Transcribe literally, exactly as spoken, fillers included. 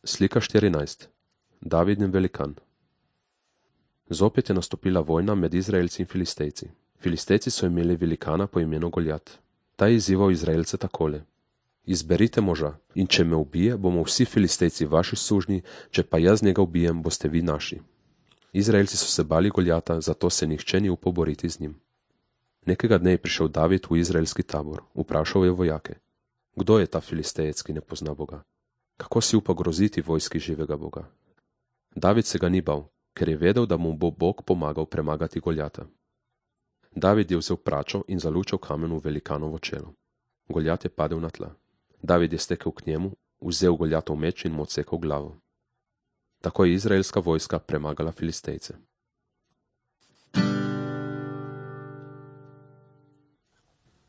Slika štirinajst. David in velikan. Zopet je nastopila vojna med Izraelci in Filistejci. Filistejci so imeli velikana po imenu Goljat. Ta je izzival Izraelce takole: Izberite moža, in če me ubije, bomo vsi Filistejci vaši sužnji, če pa jaz njega ubijem, boste vi naši. Izraelci so se bali Goljata, zato se nihče ni upal boriti z njim. Nekega dne je prišel David v izraelski tabor. Vprašal je vojake: Kdo je ta Filistejec, ki ne pozna Boga? Kako si upa groziti vojski živega Boga? David se ga ni bal, ker je vedel, da mu bo Bog pomagal premagati Goljata. David je vzel pračo in zalučal kamen v velikanovo čelo. Goljat je padel na tla. David je stekel k njemu, vzel Goljatov meč in mu odsekal glavo. Tako je izraelska vojska premagala Filistejce.